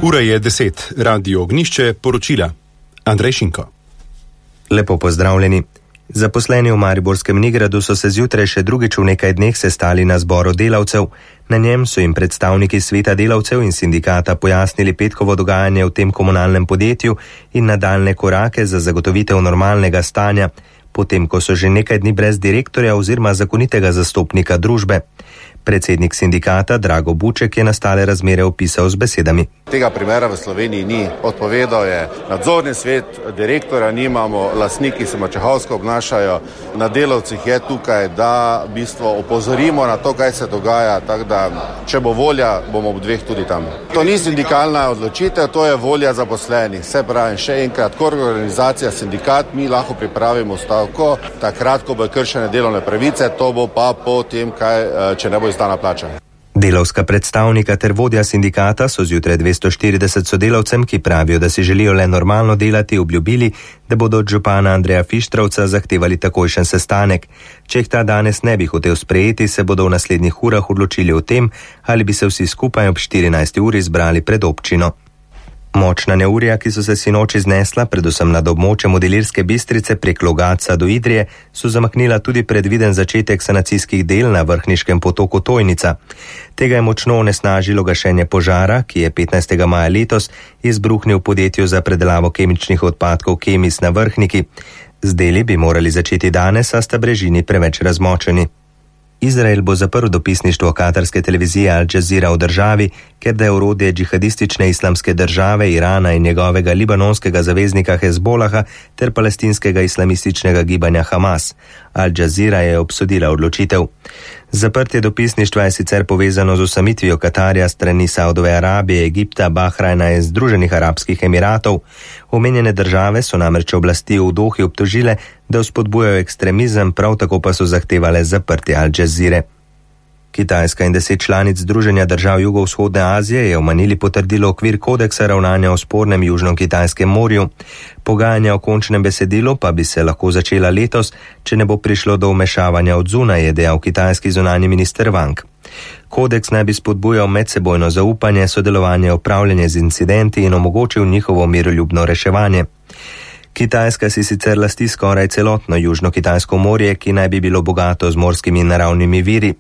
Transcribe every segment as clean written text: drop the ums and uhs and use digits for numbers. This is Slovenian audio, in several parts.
Ura je 10, Radio Ognjišče, poročila. Andrej Šinko. Lepo pozdravljeni. Zaposleni v Mariborskem Nigradu so se zjutraj še drugič v nekaj dneh sestali na zboru delavcev. Na njem so jim predstavniki sveta delavcev in sindikata pojasnili petkovo dogajanje v tem komunalnem podjetju in nadaljne korake za zagotovitev normalnega stanja, potem ko so že nekaj dni brez direktorja oziroma zakonitega zastopnika družbe. Predsednik sindikata Drago Buček je nastale razmere opisal z besedami. Tega primera v Sloveniji ni. Odpovedal je nadzorni svet, direktora nimamo, lastniki se mačehovsko obnašajo. Na delavcih je tukaj, da v bistvu opozorimo na to, kaj se dogaja, tako da če bo volja, bomo ob dveh tudi tam. To ni sindikalna odločitev, to je volja zaposlenih. Se pravi, še enkrat, kot organizacija sindikat, mi lahko pripravimo stavko, takrat, ko bo kršene delovne pravice, to bo pa po tem, če ne bo izdana plača. Delavska predstavnika ter vodja sindikata so zjutraj 240 sodelavcem, ki pravijo, da si želijo le normalno delati, obljubili, da bodo od župana Andreja Fištravca zahtevali takojšen sestanek. Če jih ta danes ne bi hotel sprejeti, se bodo v naslednjih urah odločili o tem, ali bi se vsi skupaj ob 14. uri zbrali pred občino. Močna neurja, ki so se sinoči znesla, predvsem nad območjem od Ilirske Bistrice prek Logatca do Idrije, so zamaknila tudi predviden začetek sanacijskih del na vrhniškem potoku Tojnica. Tega je močno onesnažilo gašenje požara, ki je 15. maja letos izbruhnil v podjetju za predelavo kemičnih odpadkov Kemis na Vrhniki. Z deli bi morali začeti danes, a sta brežini preveč razmočeni. Izrael bo zaprl dopisništvo katarske televizije Al Jazeera v državi, ker da je orodje džihadistične islamske države Irana in njegovega libanonskega zaveznika Hezbolaha ter palestinskega islamističnega gibanja Hamas. Al Jazeera je obsodila odločitev. Zaprtje dopisništva je sicer povezano z osamitvijo Katarja strani Saudove Arabije, Egipta, Bahrajna in Združenih arabskih emiratov. Omenjene države so namreč oblasti v Dohi obtožile, da vzpodbujajo ekstremizem, prav tako pa so zahtevale zaprtje Al Jazeere. Kitajska in 10 članic Združenja držav Jugovzhodne Azije je v Manili potrdilo okvir kodeksa ravnanja o spornem Južno-Kitajskem morju. Pogajanja o končnem besedilu pa bi se lahko začela letos, če ne bo prišlo do vmešavanja od zunaj, je dejal kitajski zunanji minister Wang. Kodeks naj bi spodbujal medsebojno zaupanje, sodelovanje, upravljanje z incidenti in omogočil njihovo miroljubno reševanje. Kitajska si sicer lasti skoraj celotno Južno-Kitajsko morje, ki naj bi bilo bogato z morskimi in naravnimi viri.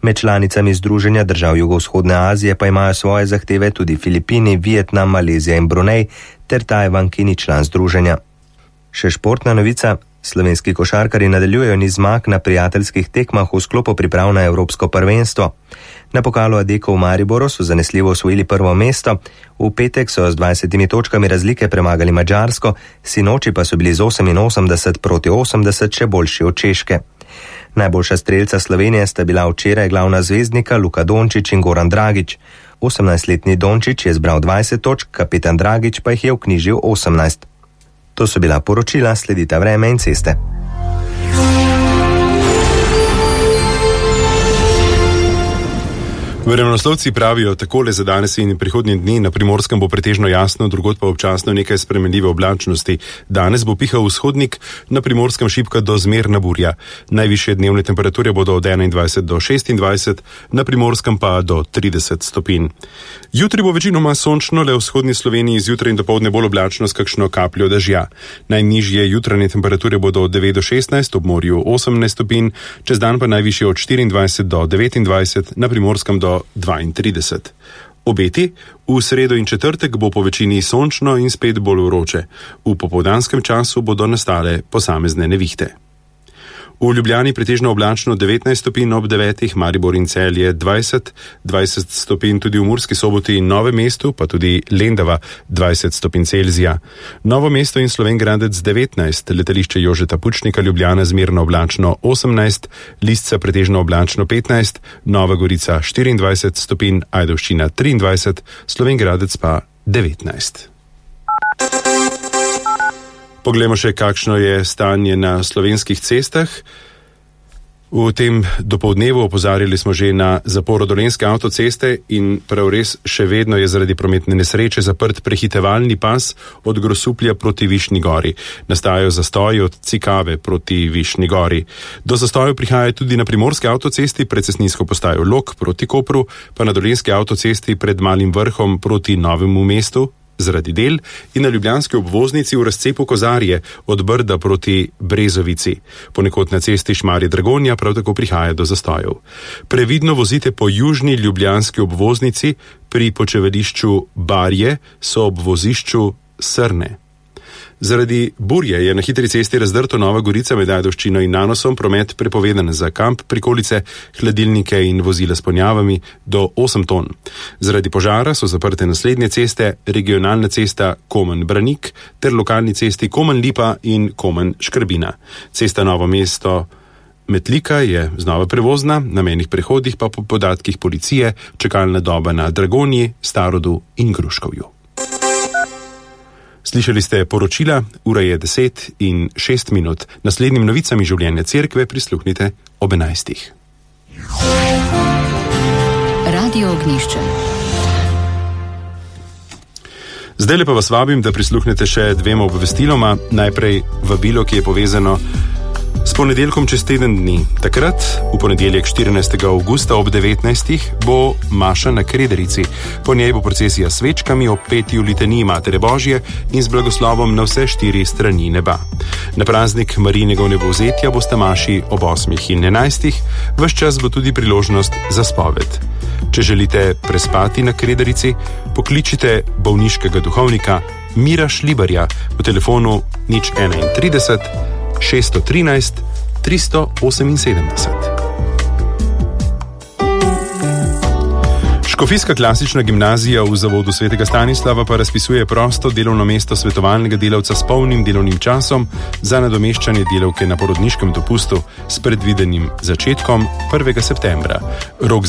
Med članicami Združenja držav Jugovzhodne Azije pa imajo svoje zahteve tudi Filipini, Vietnam, Malezija in Brunei ter Tajvan, ki ni član združenja. Še športna novica. Slovenski košarkarji nadaljujejo niz zmag na prijateljskih tekmah v sklopu priprav na Evropsko prvenstvo. Na pokalu Adeko v Mariboru so zanesljivo osvojili prvo mesto, v petek so z 20 točkami razlike premagali Madžarsko, sinoči pa so bili z 88-80 še boljši od Češke. Najboljša strelca Slovenije sta bila včeraj glavna zvezdnika Luka Dončić in Goran Dragić. 18-letni Dončić je zbral 20 točk, kapetan Dragić pa jih je vknjižil 18. To so bila poročila, sledita vreme in ceste. Vremenoslovci pravijo takole za danes in prihodnji dni. Na Primorskem bo pretežno jasno, drugod pa občasno nekaj spremenljive oblačnosti. Danes bo pihal vzhodnik, na Primorskem šibka do zmerna burja. Najvišje dnevne temperature bodo od 21 do 26, na Primorskem pa do 30 stopinj. Jutri bo večinoma sončno, le v vzhodni Sloveniji zjutraj in dopoldne bolj oblačno s kakšno kapljo dežja. Najnižje jutranje temperature bodo od 9 do 16, ob morju 18 stopinj, čez dan pa najvišje od 24 do 29, na Primorskem do 32. Obeti: v sredo in četrtek bo po večini sončno in spet bolj vroče. V popoldanskem času bodo nastale posamezne nevihte. V Ljubljani pretežno oblačno 19 stopinj ob 9, Maribor in Celje 20 stopinj tudi v Murski Soboti in Novem mestu, pa tudi Lendava 20 stopinj Celzija. Novo mesto in Slovenj Gradec 19, letališče Jožeta Pučnika Ljubljana zmerno oblačno 18, Lisca pretežno oblačno 15, Nova Gorica 24 stopinj, Ajdovščina 23, Slovenj Gradec pa 19. Poglejmo še, kakšno je stanje na slovenskih cestah. V tem dopoldnevu opozarjali smo že na zaporo Dolenjske avtoceste in prav res še vedno je zaradi prometne nesreče zaprt prehitevalni pas od Grosuplja proti Višnji Gori. Nastajajo zastoji od Cikave proti Višnji Gori. Do zastojev prihaja tudi na Primorski avtocesti pred cestninsko postajo Log proti Kopru, pa na Dolenjski avtocesti pred Malim Vrhom proti Novemu mestu zaradi del in na ljubljanski obvoznici v razcepu Kozarje od Brda proti Brezovici. Ponekod na cesti Šmarje-Dragonja prav tako prihaja do zastojev. Previdno vozite po južni ljubljanski obvoznici, pri počevališču Barje so ob vozišču Srne. Zaradi burje je na hitri cesti razdrto Nova Gorica med Ajdovščino in Nanosom, promet prepovedan za kamp, prikolice, hladilnike in vozila s ponjavami do 8 ton. Zaradi požara so zaprte naslednje ceste, regionalna cesta Komen-Branik ter lokalni cesti Komen-Lipa in Komen-Škrbina. Cesta Novo mesto Metlika je znova prevozna, na mejnih prehodih pa po podatkih policije čakalna doba na Dragonji, Starodu in Gruškovju. Slišali ste poročila, ura je 10:06. Naslednjim novicami življenja cerkve prisluhnite ob 11. Radio Ognjišče. Zdaj pa vas vabim, da prisluhnete še dvema obvestiloma. Najprej vabilo, ki je povezano s ponedeljkom čez teden dni. Takrat, v ponedeljek 14. avgusta ob 19. bo maša na Krederici. Po njej bo procesija s svečkami ob peti v litaniji Matere Božje in z blagoslovom na vse 4 strani neba. Na praznik Marijinega vnebovzetja boste maši ob 8. in 11. Ves čas bo tudi priložnost za spoved. Če želite prespati na Krederici, pokličite bolniškega duhovnika Mira Šlibarja po telefonu 031 613 378. Škofijska klasična gimnazija v zavodu Svetega Stanislava pa razpisuje prosto delovno mesto svetovalnega delavca s polnim delovnim časom za nadomeščanje delavke na porodniškem dopustu s predvidenim začetkom 1. septembra. Rok